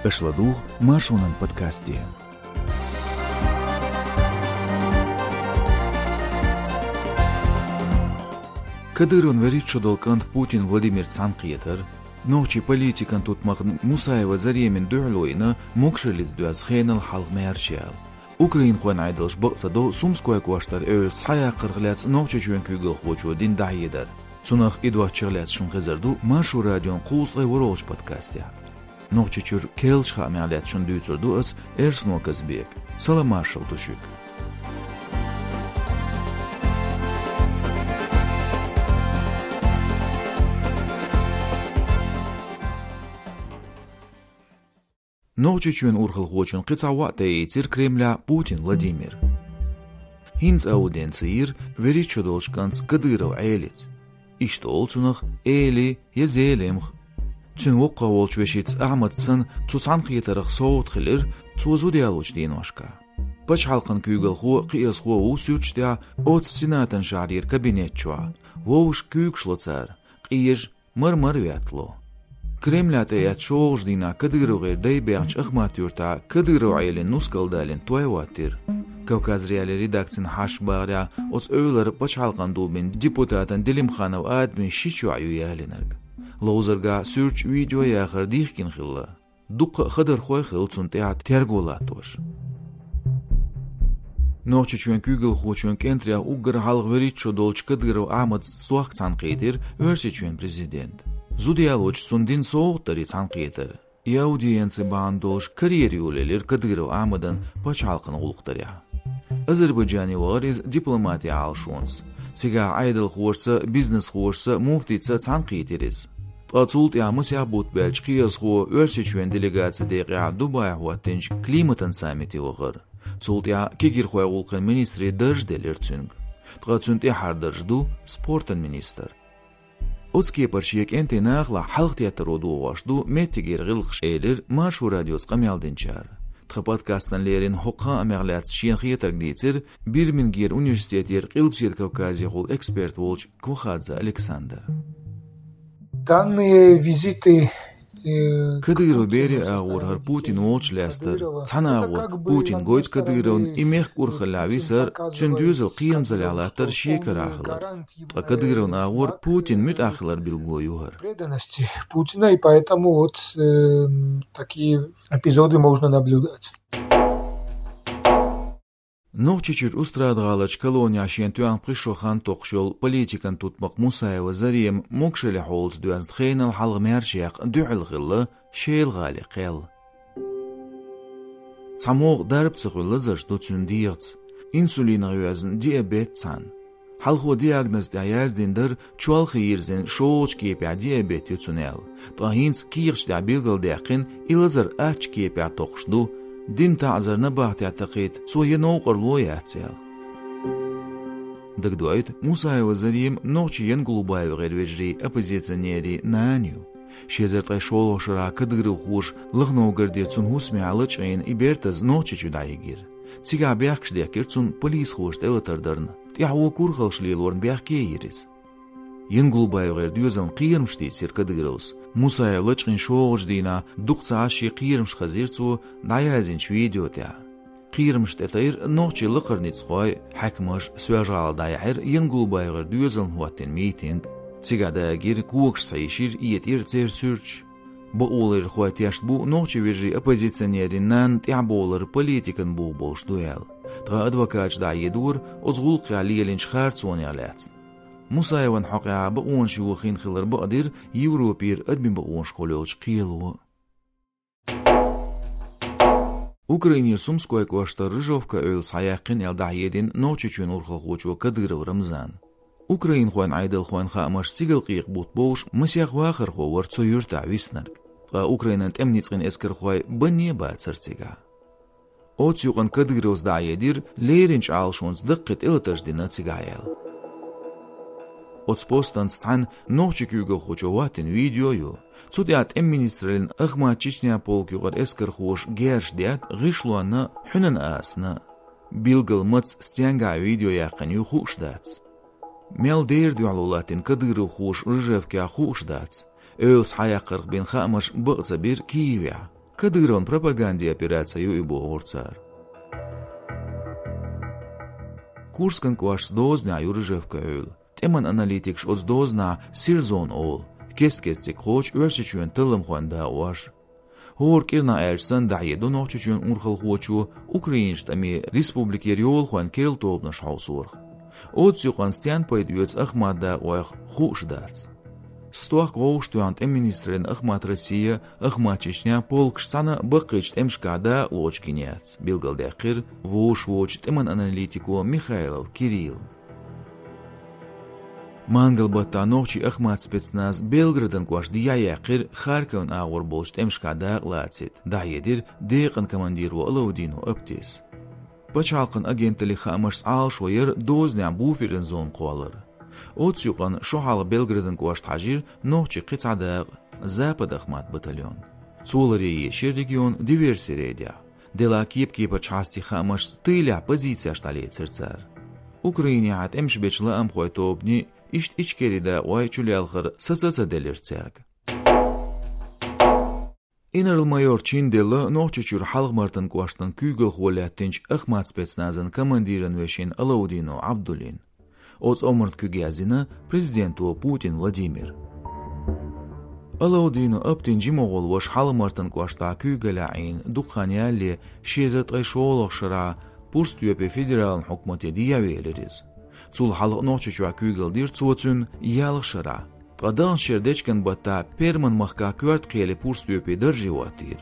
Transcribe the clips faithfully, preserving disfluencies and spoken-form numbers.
Аша ладугӀу Маршонан подкасте. Кадыровн вуьрхӀитта шо долу кӀант Путин Владимир цхьаьнакхетар, нохчийн политикан тутмакх Мусаева Заремина дуьхьало йина могашаллица доьзна хенал хьалха маьрша яла. Украинхойн Ӏедалша бакъ ца до Сумской кӀоштара эвлара схьаяккхарх лаьцна Нохчийчоьнан куьйгалхочо дина дӀахьедар. Цунах а, и доцчух а лаьцна шуна хезар ду Маршо радион кхузткъе ворхӀалгӀачу подкастехь. Нохчийчуьра керлачу хаамех лаьцна шуна дуьйцур ду ас, Эрсно Казбека. Салам-маршалла ду шуьга. Нохчийчоьнан урхалхочун кхин цхьа воӀ тӀеийцира Кремлехь Путин Владимира. ХӀинца аудиенци йира вуьрхӀитта шо долчу кӀантаца Кадыров Ӏелица. Иштта олу цунах Эли я Зелимха. Цуьнан воккхах волчу вешица Ахьмадца санна цу цхьаьнакхетарх совгӀат хилира цо зуда ялочу деношкахь. Пачхьалкхан куьйгалхо а, кхиазхо а ву суьрташ тӀехь оццу Сенатан шахьарера кабинет чохь. Вовшашка куьйгаш ло цара, къежа, мар-мар веттало. Кремлехь тӀеэцна шолгӀачу дийнахь КадыровгӀеран дай баьхначу Ахмат-Юьртахь Кадыров Ӏелин нускал далийна той хӀоттийра. Кавказ.Реалии редакцин хьашташкахь бахарехь, оцу эвлара Пачхьалкхан Думин депутатан Делимханов Адаман шичохь ю ялийнарг. Ловзаргахь суьрташ, видео яхар дихкина хилла. Дуккха а хадархой хилла цунна тӀехь терго латтош. Нохчийчоьнан куьйгалхочун кӀентех уггар хьалха вуьрхӀитта шо долчу Кадыров Ахьмадца стохка цхьаьнакхийтира Оьрсийчоьнан президент. Зуда ялочу цунна дина совгӀат дара и цхьаьнакхетар. И аудиенци бахьана долуш карьера йолаелира Кадыров Ахьмадан пачхьалкхан гӀуллакх дарехь. Азербайджане вахара иза дипломатин Ӏалашонца. Цигахь Ӏедалхошца, бизнесхошца, муфтица цхьаьнакхийтира иза. Ткъа цул тӀаьхьа масех бутт баьлча кхиазхо Оьрсийчоьнан делегацин декъехь Дубай хӀоттийначу климатан саммите вахара. Цул тӀаьхьа кегийрхойн гӀуллакхийн министран дарж делира цуьнга. Ткъа цуьнан тӀаьххьара дарж ду спортан министр. Оцу кепара шен кӀентий нахалахь хьалхатеттаро дохош ду меттигера гӀиллакхаш, элира Маршо радиоца къамел динчара. Тхан подкастана леррина хӀокху хаамех лаьцна шена хетарг дийцира Бирмингемера университетера Къилбаседа Кавказехула эксперт волчу Квахадзе Александра. Данные визиты, э, Кадыров бере агӀор хӀара Путин волчу лаьцна дара. Цхьана агӀор Путин гойту Кадыровна и мехкан урхаллехь висар, цуьнан доьзал кхерамзаллехь латтар шен карахь хилар. Ткъа Кадыровн агӀор Путин муьтӀахь хилар билгало ю хӀара. Преданности Путина, и поэтому вот, э, такие эпизоды можно наблюдать. Нохчийчуьра Устрада-ГӀаларчу колонехь шена тоьхна пхи шо хан токхуш йолу политикан тутмакх Мусаева Зарема могашаллин хьолаца доьзна хенал хьалха маьрша яккха дуьхьал хилла Шелан-ГӀалин кхел. Цхьа могӀа дарба ца хуьлу лазарш ду цуьнан дегӀаца, инсулинах йоьзна диабет цхьаьна. Хьалхо диагноз тӀехь яздина дара чолхе йирзина шолгӀачу кепехь диабет ю цуьнан аьлла. Ткъа хӀинца кехаташ тӀехь билгалдаьккхина, и лазар аттачу кепехь токхуш ду, дина таӀзар набахтехь такхийта цо я новкъарло яц аьлла. Дагадоуьйту, Мусаева Зарема нохчийн ЯнгулбаевгӀеран вежарийн оппозиционерийн нана ю. Ши эзар ткъе шолгӀачу шарахь кадыровхоша Лахновгородера цуьнан хӀусамехь лачкъийна и бертаза Нохчийчу дӀайигира. Цигахь бехкаш дехкира цунна полисхоша тӀелатар дарна, тӀаьхьо курхалш лелорна бехке а йира иза. ЯнгулбаевгӀеран доьзална кхерамаш дийцира Кадыровс. Мусаев лачкъийна шолгӀачу дийнахь дукха ца Ӏаш шен кхерамаш хазийра цо дӀаяздинчу видео тӀехь. Кхерамаш тӀетайра нохчийн лакхара ницкъахой, хьаькамаш, Соьлжа-ГӀалахь дӀаяьхьира ЯнгулбаевгӀеран доьзална хӀоттийна митинг. Цигахь дагийра, когаш схьайишийра, этӀийра церан суьрташ. Бакъоларъярхой тешна бу нохчийн вежарийн оппозиционерийн нанна тӀаьхьабовлар политикан бух болуш ду аьлла. Ткъа адвокаташа дӀахьедора оцу гӀуллакхехь лелийначу харцонех лаьцна. Мусаевн хьокъехь бакъонаш йохийна хилар бакъдира Европера адамийн бакъонаш кхоллуш йолчу кхело. Украинера Сумской кӀоштара Рыжовка эвла схьаяьккхина аьлла дӀахьедина Нохчийчоьнан урхалхочо Кадыров Рамзана. Украинхойн Ӏедалхойн хаамашца, стигалкъекъа бутт бовш масех вахархо вара цу юьртахь виснарг. Ткъа Украинан тӀеман ницкъийн эскархой банне а бацара цигахь. Оцу юкъана Кадыровс дӀахьедира, лерринчу Ӏалашонца даккхий тӀелатарш дина цигахь аьлла. Оцу постанца цхьаьна нохчийн куьйгалхочо хӀоттийна видео ю. Цу тӀехь тӀеман министраллин Ахмат-Чечня полк юкъара эскархоша герзаш детта гӀишлонна а, хьуьнан асана а. Билггал маца, стенгахь видео яьккхина ю хууш дац. Мел дера дуьхьало латтийна кадыровхоша Рыжовкехь хууш дац. Эвла схьаяккхарх бина хаамаш бакъ ца бира Киевехь. Кадыровн пропагандин операци ю и бохура цара. Курскан кӀоштаца дозанехь ю Рыжевка Ӏуьйла. ТӀеман аналитикаш оцу дозанах сирзон олу, кест-кеста цига кхочу Оьрсийчоьнан талламхойн дакъош. ХӀора кӀирнах аьлча санна, дӀахьедо Нохчийчоьнан урхалхочо Украинан тӀеман республикера йолахойн керла тобанаш хьовсорах. Оццу юкъанна стенна пайда оьцу Ахмат дакъойх хууш дац. Стохка вовшахтоьхна тӀеман министраллин Ахмат Россия, Ахмат Чечня полкаш цхьана а баккхийчу тӀемашкахь дакъалоцуш гина яц, билгалдаьккхира вовшахволчу тӀеман аналитико Михайлов Кирилла. Мангал-баттахь нохчийн Ахмат спецназ Белгородан кӀоштан дехьа яьккхира Харьковн агӀор болчу тӀемашкахь дакъа лацийта, дӀахьедира декъан командиро Алаудинов Аптис. Пачхьалкхан агенталлин хаамашца, Ӏалашо яра дозанехь буферан зона кхоллар. Оццу юкъанна шо хьалха Белгородан кӀоштахь хьажийра нохчийн кхин цхьа дакъа, Запад-Ахмат батальон. Цо ларъе езаш яра регион диверсин рейдехь. Делахь кеп-кепарчу хьастийн хаамашца, тылехь позицеш дӀалецира цара. Украинехь тӀемаш бечу лаамхойн тобанийн, иштта Ичкерин дакъойн чулелхар саца а ца делира цаьрга. Инарла-майор чин делла Нохчийчуьра Хьалха-Мартан кӀоштан куьйгалхо лаьттинчу Ахмат спецназан командиран вешин Алаудинов Ӏабдуллин. Оцу омранна куьг яздина президенто Путин Владимира. Алаудинов Аптин жима гӀолла ваша Хьалха-Мартан кӀоштахь куьйгаллехь Ӏийна дукха хан ялале, ши эзар ткъе шолгӀачу шарахь Пурстоьпан федералан хьукмате дехьавелира иза. Цул хьалха Нохчийчохь куьйгалла дира цо цуьнан ялх шарахь. Ткъа даханчу шеран дечкен-баттахь Перман махкахь коьрта кхеле Пурстоьпан дарже хӀоттийра.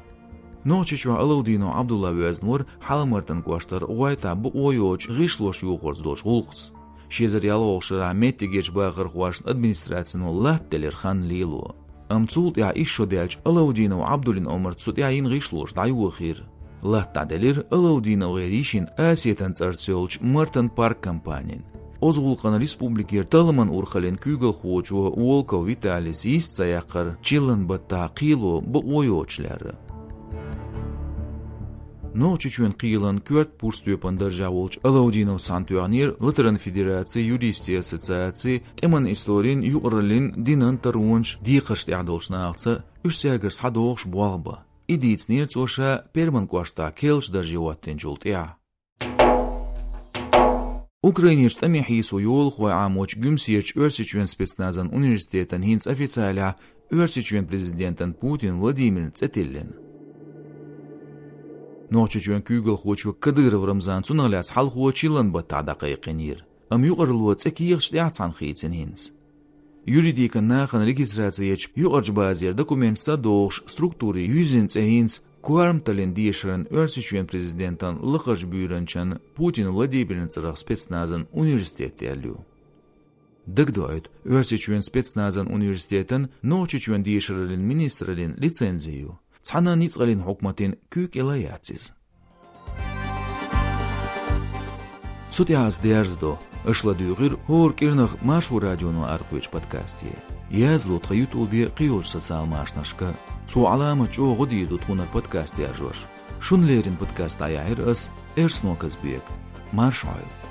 Нохчийчохь Алаудинов Ӏабдулла воьзна вара Хьалха-Мартан кӀоштара гӀойтахь бакъо йоцучу гӀишлош йохорца долчу гӀуллакхца. Ши эзар ялхолгӀачу шарахь меттигерчу бахархошна администрацино латта делира хан лело. Амма цул тӀаьхьа исс шо даьлча Алаудинов Ӏабдуллин омарца цу тӀехь йина гӀишлош дӀайохийра. Латта дӀаделира АлаудиновгӀеран йишин Асетан цӀарца йолчу Мартан парк компанина. Оцу гӀуллакхана республикера талламан урхаллин куьйгалхочо Волков Виталис йист ца яьккхира чиллан-баттахь кхело бакъо йоцуш лерра. Нохчийчоьнан кхелан коьрта Пурстоьпан даржехь волчу Алаудиновс цхьаьнатоьхнера Латаран Федерацин, Юристийн ассоциацин, тӀеман историн, юкъараллин, динан, таронаш, декхарш тӀехь долчу нахаца, уьш цаьргара схьадогӀуш болх бан. И дийцинера цо ша Перман кӀоштахь керлачу дарже хӀоттийначул тӀаьхьа. Украинерчу тӀамехь хьийсо йолахой Ӏамочу Гуьмсерчу Оьрсийчоьнан спецназан университетана хӀинца официалехь Оьрсийчоьнан президентан Путин Владимиран цӀе тиллина. Нохчийчоьнан куьйгалхочо Кадыров Рамзана цунах лаьцна хьалхо чиллан-баттахь дӀакхайкхийнера, амма юкъаралло цӀе кехаташ тӀехь цхьаьна хийцина хӀинца. Юридикан нахана регистраци ечу юкъарчу базера документаш садохуш структурин юьззина цӀе хӀинца корматаллин дешаран Оьрсийчоьнан президентан лакхарчу буьйранчан Путин Владимиран цӀарах спецназан университет аьлла ю. Дагадоуьйту, Оьрсийчоьнан спецназан университетан Нохчийчоьнан дешараллин министраллин лицензи ю. Цхьана а ницкъаллин хьукматан куьйга кӀела яц иза. Цу тӀехь ас дерзадо. Аша ладуьйгӀира хӀора кӀирнах Маршо радионо арахоьцучу подкасте. Язло тхан ютубе, кхийолчу социал машанашка. Цо Ӏаламат чӀогӀа дийр ду тхунара подкаст яржош. Шуна леррина подкаст дӀаяьхьира ас, Эрсно Казбека. Марша Ӏойла!